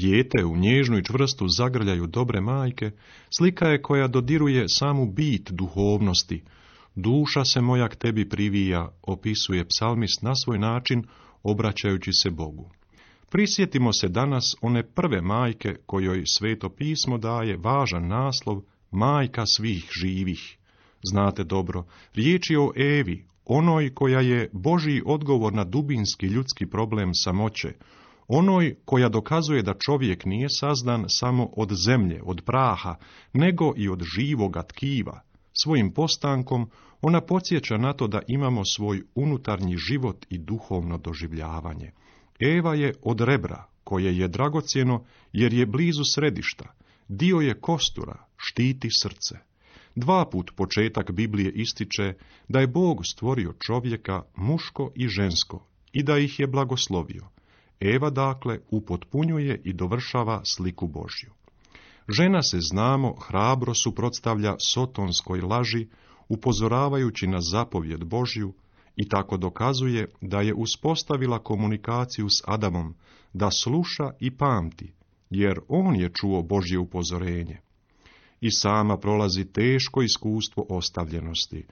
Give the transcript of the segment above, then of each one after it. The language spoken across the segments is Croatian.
Dijete u nježnu i čvrstu zagrljaju dobre majke, slika je koja dodiruje samu bit duhovnosti. Duša se moja k tebi privija, opisuje psalmist na svoj način, obraćajući se Bogu. Prisjetimo se danas one prve majke kojoj Sveto pismo daje važan naslov Majka svih živih. Znate dobro, riječ je o Evi, onoj koja je Božji odgovor na dubinski ljudski problem samoće, onoj koja dokazuje da čovjek nije sazdan samo od zemlje, od praha, nego i od živoga tkiva. Svojim postankom ona podsjeća na to da imamo svoj unutarnji život i duhovno doživljavanje. Eva je od rebra, koje je dragocjeno jer je blizu središta, dio je kostura, štiti srce. 2 put početak Biblije ističe da je Bog stvorio čovjeka muško i žensko i da ih je blagoslovio. Eva dakle upotpunjuje i dovršava sliku Božju. Žena se, znamo, hrabro suprotstavlja sotonskoj laži, upozoravajući na zapovjed Božju, i tako dokazuje da je uspostavila komunikaciju s Adamom, da sluša i pamti, jer on je čuo Božje upozorenje. I sama prolazi teško iskustvo ostavljenosti.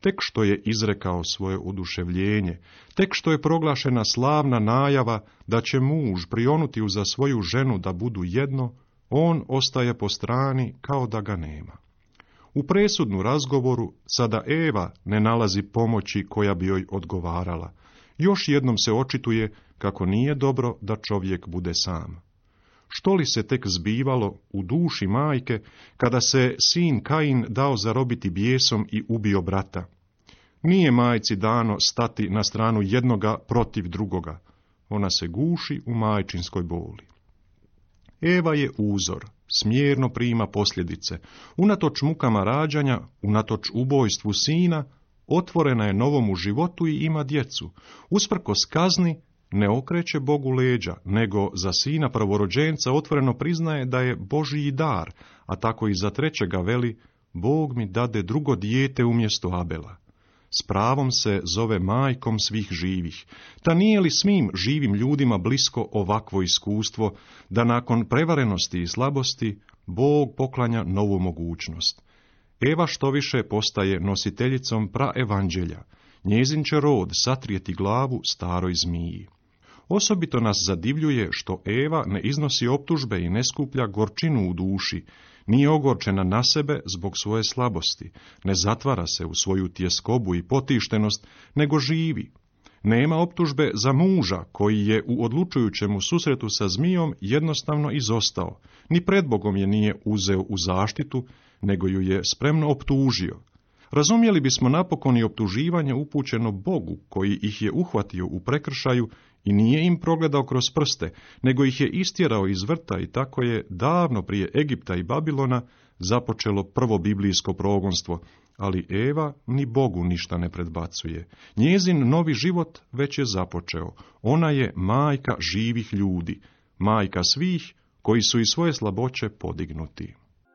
Tek što je izrekao svoje oduševljenje, tek što je proglašena slavna najava da će muž prionuti uza svoju ženu da budu jedno, on ostaje po strani kao da ga nema. U presudnu razgovoru sada Eva ne nalazi pomoći koja bi joj odgovarala. Još jednom se očituje kako nije dobro da čovjek bude sam. Što li se tek zbivalo u duši majke kada se sin Kain dao zarobiti bijesom i ubio brata? Nije majci dano stati na stranu jednoga protiv drugoga. Ona se guši u majčinskoj boli. Eva je uzor, smjerno prima posljedice. Unatoč mukama rađanja, unatoč ubojstvu sina, otvorena je novomu životu i ima djecu. Usprkos kazni, ne okreće Bogu leđa, nego za sina prvorođenca otvoreno priznaje da je Božji dar, a tako i za trećega veli, Bog mi dade drugo dijete umjesto Abela. S pravom se zove majkom svih živih. Ta nije li svim živim ljudima blisko ovakvo iskustvo, da nakon prevarenosti i slabosti Bog poklanja novu mogućnost? Eva štoviše postaje nositeljicom praevanđelja. Njezin će rod satrijeti glavu staroj zmiji. Osobito nas zadivljuje što Eva ne iznosi optužbe i ne skuplja gorčinu u duši, nije ogorčena na sebe zbog svoje slabosti, ne zatvara se u svoju tjeskobu i potištenost, nego živi. Nema optužbe za muža koji je u odlučujućemu susretu sa zmijom jednostavno izostao, ni pred Bogom je nije uzeo u zaštitu, nego ju je spremno optužio. Razumjeli bismo napokon i optuživanje upućeno Bogu, koji ih je uhvatio u prekršaju i nije im progledao kroz prste, nego ih je istjerao iz vrta i tako je davno prije Egipta i Babilona započelo prvo biblijsko progonstvo, ali Eva ni Bogu ništa ne predbacuje. Njezin novi život već je započeo. Ona je majka živih ljudi, majka svih koji su iz svoje slaboće podignuti.